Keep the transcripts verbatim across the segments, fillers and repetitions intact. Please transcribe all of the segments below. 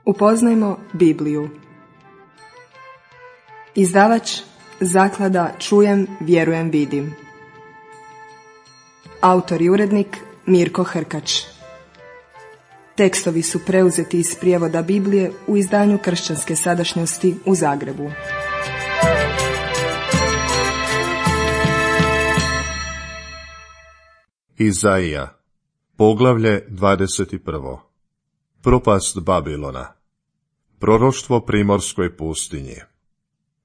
Upoznajmo Bibliju. Izdavač Zaklada Čujem, vjerujem, vidim. Autor i urednik Mirko Hrkač. Tekstovi su preuzeti iz prijevoda Biblije u izdanju Kršćanske sadašnjosti u Zagrebu. Izaija, poglavlje dvadeset prvo. Propast Babilona. Proroštvo primorskoj pustinji.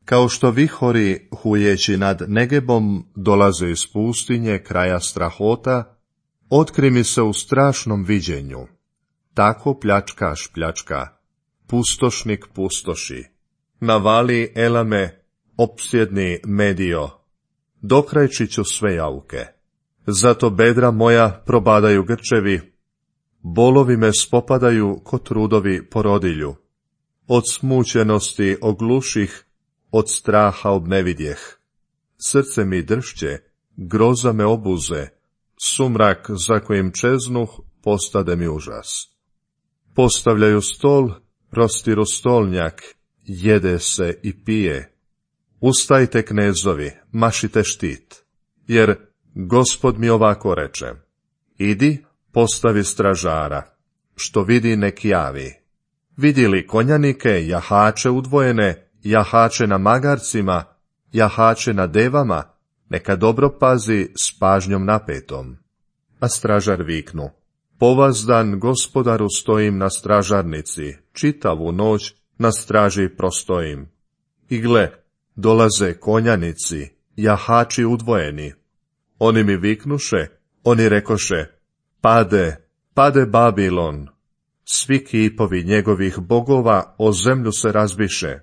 Kao što vihori hujeći nad Negebom dolaze iz pustinje kraja strahota, otkri mi se u strašnom viđenju. Tako pljačkaš pljačka, pustošnik pustoši. Navali Elame, opsjedni Medio, dokrajči ću sve jauke. Zato bedra moja probadaju grčevi, bolovi me spopadaju ko trudovi porodilju. Od smućenosti ogluših, od straha obnevidjeh. Srce mi dršće, groza me obuze, sumrak za kojim čeznuh postade mi užas. Postavljaju stol, rostiru stolnjak, jede se i pije. Ustajte knezovi, mašite štit, jer Gospod mi ovako reče: idi, postavi stražara, što vidi nek javi. Vidi li konjanike, jahače udvojene, jahače na magarcima, jahače na devama, neka dobro pazi s pažnjom napetom. A stražar viknu: povazdan Gospodaru stojim na stražarnici, čitavu noć na straži prostojim. I gle, dolaze konjanici, jahači udvojeni. Oni mi viknuše, oni rekoše: pade, pade Babilon. Svi kipovi njegovih bogova o zemlju se razbiše.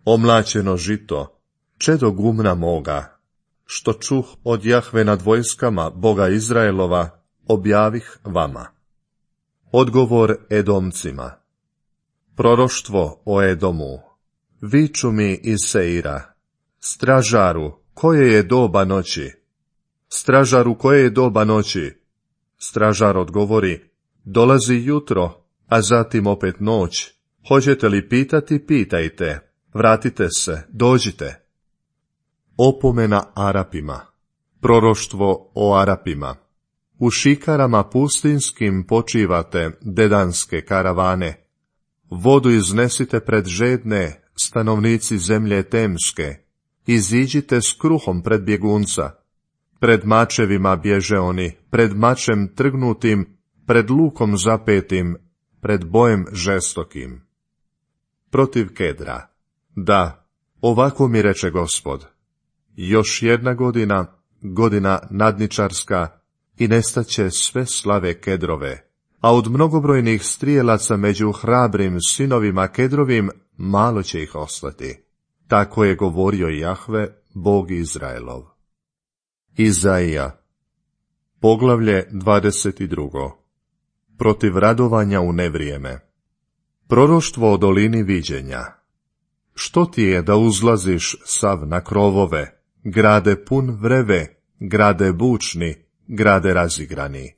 Omlaćeno žito, čedo gumna moga, što čuh od Jahve nad vojskama Boga Izraelova, objavih vama. Odgovor Edomcima. Proroštvo o Edomu. Viču mi iz Seira: stražaru, koje je doba noći? Stražaru, koje je doba noći? Stražar odgovori: dolazi jutro, a zatim opet noć. Hoćete li pitati, pitajte. Vratite se, dođite. Opomena Arapima. Proroštvo o Arapima. U šikarama pustinskim počivate, dedanske karavane. Vodu iznesite pred žedne, stanovnici zemlje temske. Iziđite s kruhom pred bjegunca. Pred mačevima bježe oni, pred mačem trgnutim, pred lukom zapetim, pred bojem žestokim. Protiv Kedra. Da, ovako mi reče Gospod: još jedna godina, godina nadničarska, i nestaće sve slave Kedrove, a od mnogobrojnih strijelaca među hrabrim sinovima Kedrovim malo će ih ostati. Tako je govorio Jahve, Bog Izraelov. Izaija, poglavlje dvadeset drugo. Protiv radovanja u nevrijeme. Proroštvo o dolini viđenja. Što ti je da uzlaziš sav na krovove, grade pun vreve, grade bučni, grade razigrani?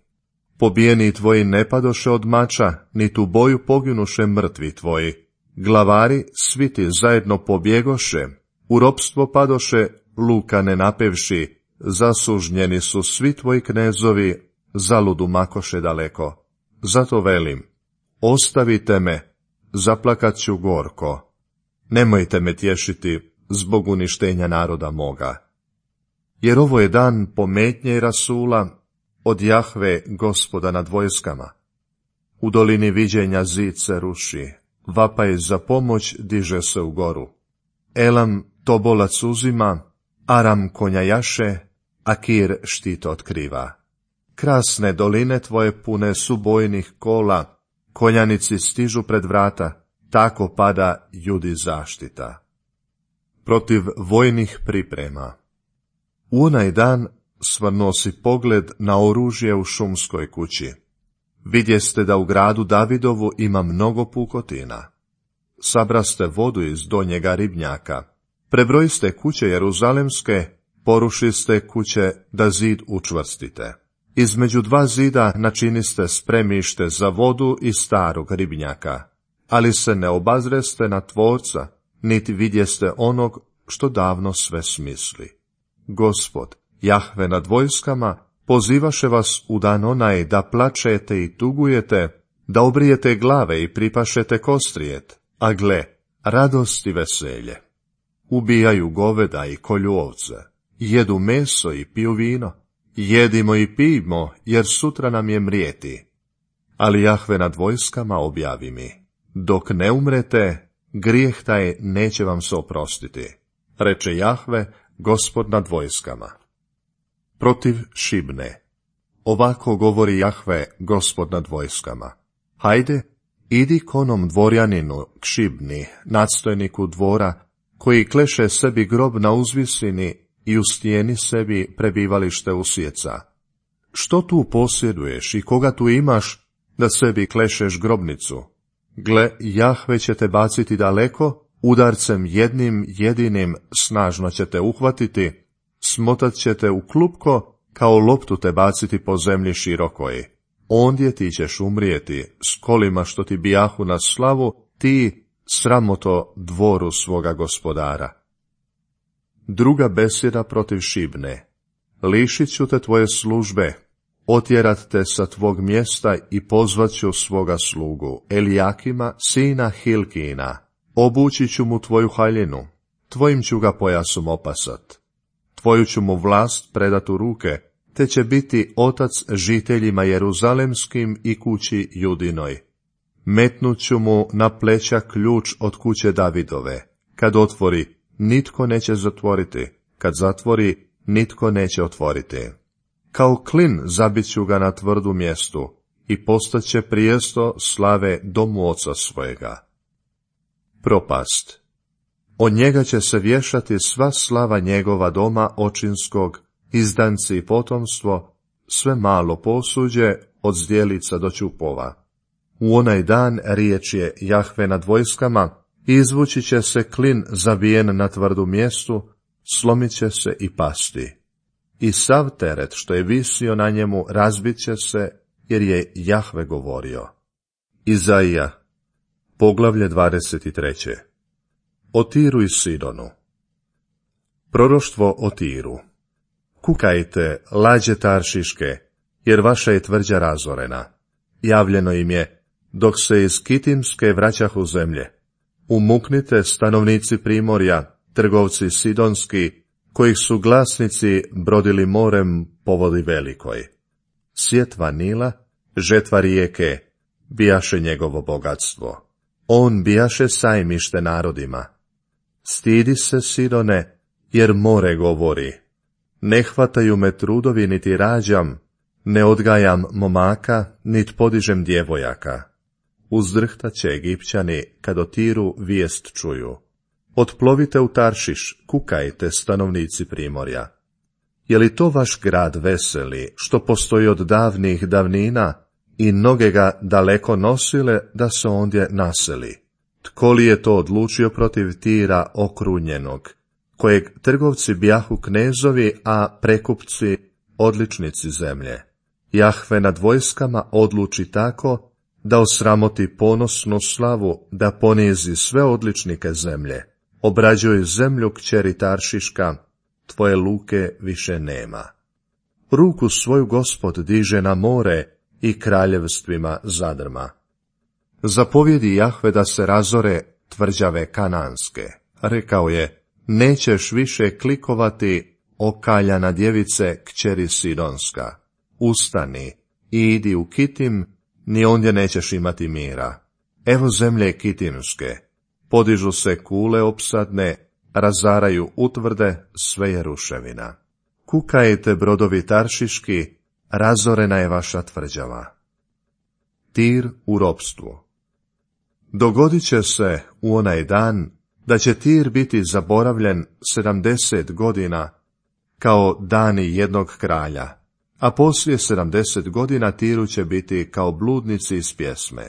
Pobijeni tvoji ne padoše od mača, niti u boju poginuše mrtvi tvoji. Glavari svi ti zajedno pobjegoše, u ropstvo padoše, luka ne napevši, zasužnjeni su svi tvoji knezovi, zaludu makoše daleko. Zato velim: ostavite me, zaplakat ću gorko. Nemojte me tješiti zbog uništenja naroda moga. Jer ovo je dan pometnje i rasula od Jahve, Gospoda nad vojskama. U dolini viđenja zid se ruši, vapaj za pomoć diže se u goru. Elam tobolac uzima, Aram konja jaše, Akir štit otkriva. Krasne doline tvoje pune su bojnih kola, konjanici stižu pred vrata, tako pada Judi zaštita. Protiv vojnih priprema. U onaj dan svrnuo si pogled na oružje u šumskoj kući. Vidjeste da u gradu Davidovu ima mnogo pukotina. Sabraste vodu iz donjega ribnjaka. Prebrojiste kuće jeruzalemske, porušiste kuće da zid učvrstite. Između dva zida načiniste spremište za vodu iz starog ribnjaka. ali se ne obazreste na Tvorca, niti vidjeste onog što davno sve smisli. Gospod, Jahve nad vojskama, pozivaše vas u dan onaj da plačete i tugujete, da obrijete glave i pripašete kostrijet, a gle, radost i veselje. Ubijaju goveda i kolju ovce, jedu meso i piju vino, jedimo i pijmo, jer sutra nam je mrijeti. Ali Jahve nad vojskama objavi mi, dok ne umrete, grijeh taj neće vam se oprostiti, reče Jahve, Gospod nad vojskama. Protiv Šibne. Ovako govori Jahve, Gospod nad vojskama. Hajde, idi k onom dvorjaninu, k Šibni, nadstojniku dvora, koji kleše sebi grob na uzvisini i u stijeni sebi prebivalište usjeca. Što tu posjeduješ i koga tu imaš, da sebi klešeš grobnicu? Gle, Jahve će te baciti daleko, udarcem jednim jedinim snažno će te uhvatiti, smotat će te u klupko, kao loptu te baciti po zemlji širokoj. Ondje ti ćeš umrijeti, s kolima što ti bijahu na slavu, ti, sramoto, dvoru svoga gospodara. Druga besjeda protiv Šibne. Lišit ću te tvoje službe, otjerat te sa tvog mjesta i pozvat ću svoga slugu, Elijakima, sina Hilkina. Obući ću mu tvoju haljinu, tvojim ću ga pojasom opasat. Tvoju ću mu vlast predat u ruke, te će biti otac žiteljima jeruzalemskim i kući Judinoj. Metnut ću mu na pleća ključ od kuće Davidove. Kad otvori, nitko neće zatvoriti, kad zatvori, nitko neće otvoriti. Kao klin zabit ću ga na tvrdu mjestu i postaće prijesto slave domu oca svojega. Propast. Od njega će se vješati sva slava njegova doma očinskog, izdanci i potomstvo, sve malo posuđe, od zdjelica do ćupova. U onaj dan riječ je Jahve nad vojskama, izvući će se klin zabijen na tvrdu mjestu, slomit će se i pasti. I sav teret što je visio na njemu razbit će se, jer je Jahve govorio. Izaija, poglavlje dvadeset tri. O Tiru i Sidonu. Proroštvo o Tiru. Kukajte, lađe Taršiške, jer vaša je tvrđa razorena. Javljeno im je, dok se iz Kitimske vraćahu zemlje. Umuknite, stanovnici Primorja, trgovci Sidonski, kojih su glasnici brodili morem po vodi velikoj. Sjetva Nila, žetva rijeke, bijaše njegovo bogatstvo. On bijaše sajmište narodima. Stidi se, Sidone, jer more govori. Ne hvataju me trudovi, niti rađam, ne odgajam momaka, nit podižem djevojaka. Uzdrhtat će Egipćani, kad o Tiru vijest čuju. Otplovite u Taršiš, kukajte, stanovnici Primorja. Je li to vaš grad veseli, što postoji od davnih davnina, i noge ga daleko nosile da se ondje naseli? Tko li je to odlučio protiv Tira okrunjenog, kojeg trgovci bijahu knezovi, a prekupci odličnici zemlje? Jahve nad vojskama odluči tako, da osramoti ponosnu slavu, da ponizi sve odličnike zemlje. Obrađuj zemlju kćeri Taršiška, tvoje luke više nema. Ruku svoju Gospod diže na more i kraljevstvima zadrma. Zapovjedi Jahve da se razore tvrđave kananske. Rekao je, nećeš više klikovati, okaljana djevice kćeri Sidonska. Ustani, idi u Kitim, ni ondje nećeš imati mira. Evo zemlje Kitimske, podižu se kule opsadne, razaraju utvrde, sve je ruševina. Kukajte, brodovi Taršiški, razorena je vaša tvrđava. Tir u ropstvu. Dogodit će se u onaj dan da će Tir biti zaboravljen sedamdeset godina, kao dani jednog kralja, a poslije sedamdeset godina Tiru će biti kao bludnici iz pjesme.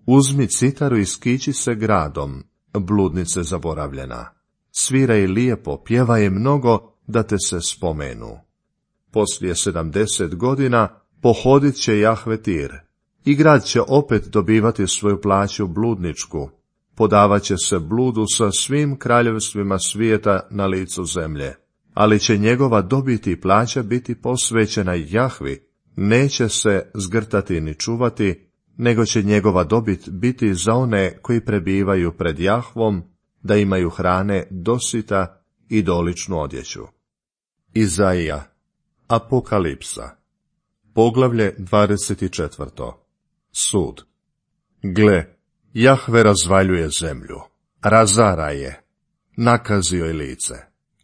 Uzmi citaru i skići se gradom, bludnice zaboravljena. Sviraj lijepo, pjevaj mnogo, da te se spomenu. Poslije sedamdeset godina pohodit će Jahve Tir, I grad će opet dobivati svoju plaću bludničku, podavat će se bludu sa svim kraljevstvima svijeta na licu zemlje, ali će njegova dobit i plaća biti posvećena Jahvi, neće se zgrtati ni čuvati, nego će njegova dobit biti za one koji prebivaju pred Jahvom, da imaju hrane dosita i doličnu odjeću. Izaija, Apokalipsa, poglavlje dvadeset četvrto. Sud. Gle, Jahve razvaljuje zemlju, razara je, nakazio je lice,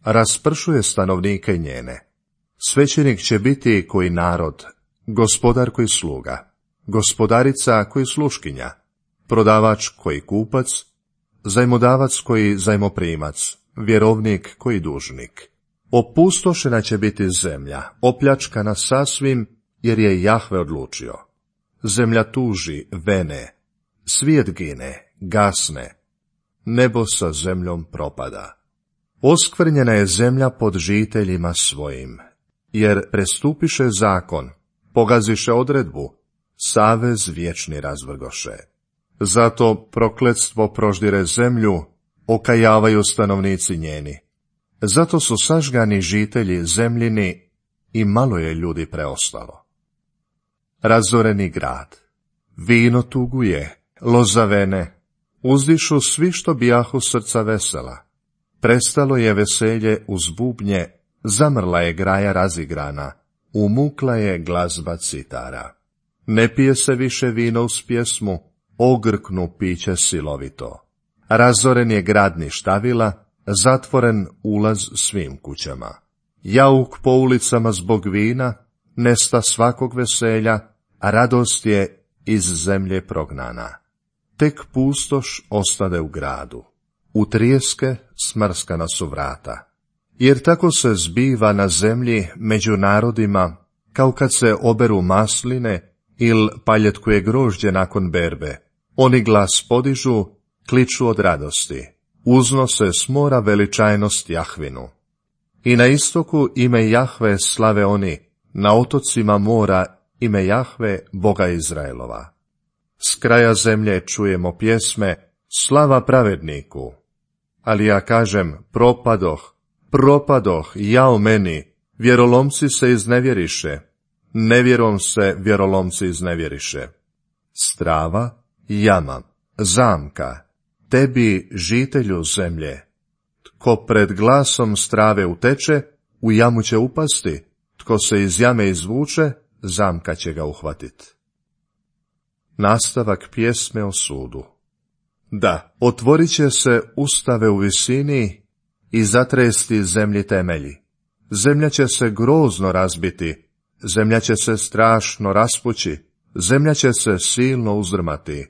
raspršuje stanovnike njene. Svećenik će biti koji narod, gospodar koji sluga, gospodarica koji sluškinja, prodavač koji kupac, zajmodavac koji zajmoprimac, vjerovnik koji dužnik. Opustošena će biti zemlja, opljačkana sasvim, jer je Jahve odlučio. Zemlja tuži, vene, svijet gine, gasne, nebo sa zemljom propada. Oskvrnjena je zemlja pod žiteljima svojim, jer prestupiše zakon, pogaziše odredbu, savez vječni razvrgoše. Zato prokletstvo proždire zemlju, okajavaju stanovnici njeni. Zato su sažgani žitelji zemljini i malo je ljudi preostalo. Razoreni grad, vino tuguje, loza vene, uzdišu svi što bijahu srca vesela. Prestalo je veselje uz bubnje, zamrla je graja razigrana, umukla je glazba citara. Ne pije se više vino uz pjesmu, ogrknu piće silovito. Razoren je grad ništavila, zatvoren ulaz svim kućama. Jauk po ulicama zbog vina, nesta svakog veselja, a radost je iz zemlje prognana. Tek pustoš ostade u gradu. U trijeske smrskana su vrata. Jer tako se zbiva na zemlji među narodima, kao kad se oberu masline il paljetkuje grožđe nakon berbe. Oni glas podižu, kliču od radosti, uznose s mora veličajnost Jahvinu. I na istoku ime Jahve slave oni, na otocima mora ime Jahve, Boga Izraelova. S kraja zemlje čujemo pjesme, slava pravedniku. Ali ja kažem, propadoh, propadoh, jao meni, vjerolomci se iznevjeriše, nevjerom se vjerolomci iznevjeriše. Strava, jama, zamka, tebi žitelju zemlje. Tko pred glasom strave uteče, u jamu će upasti, tko se iz jame izvuče, zamka će ga uhvatit. Nastavak pjesme o sudu. Da, otvorit će se ustave u visini i zatresti zemlji temelji. Zemlja će se grozno razbiti, zemlja će se strašno raspući, zemlja će se silno uzdrmati.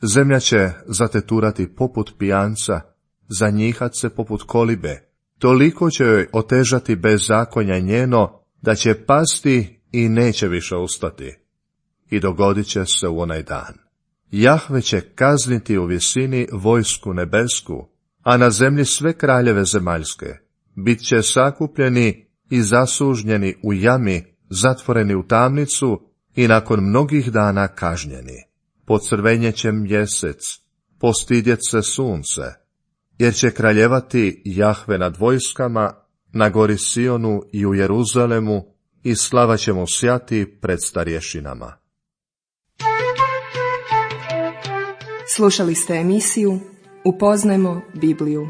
Zemlja će zateturati poput pijanca, zanjihat se poput kolibe. Toliko će joj otežati bezakonja njeno, da će pasti i neće više ustati. I dogodit će se u onaj dan. Jahve će kazniti u visini vojsku nebesku, a na zemlji sve kraljeve zemaljske. Bit će sakupljeni i zasužnjeni u jami, zatvoreni u tamnicu i nakon mnogih dana kažnjeni. Pocrvenjet će mjesec, postidjet se sunce, jer će kraljevati Jahve nad vojskama, na gori Sionu i u Jeruzalemu, i slava će mu sjati pred starješinama. Slušali ste emisiju Upoznajmo Bibliju.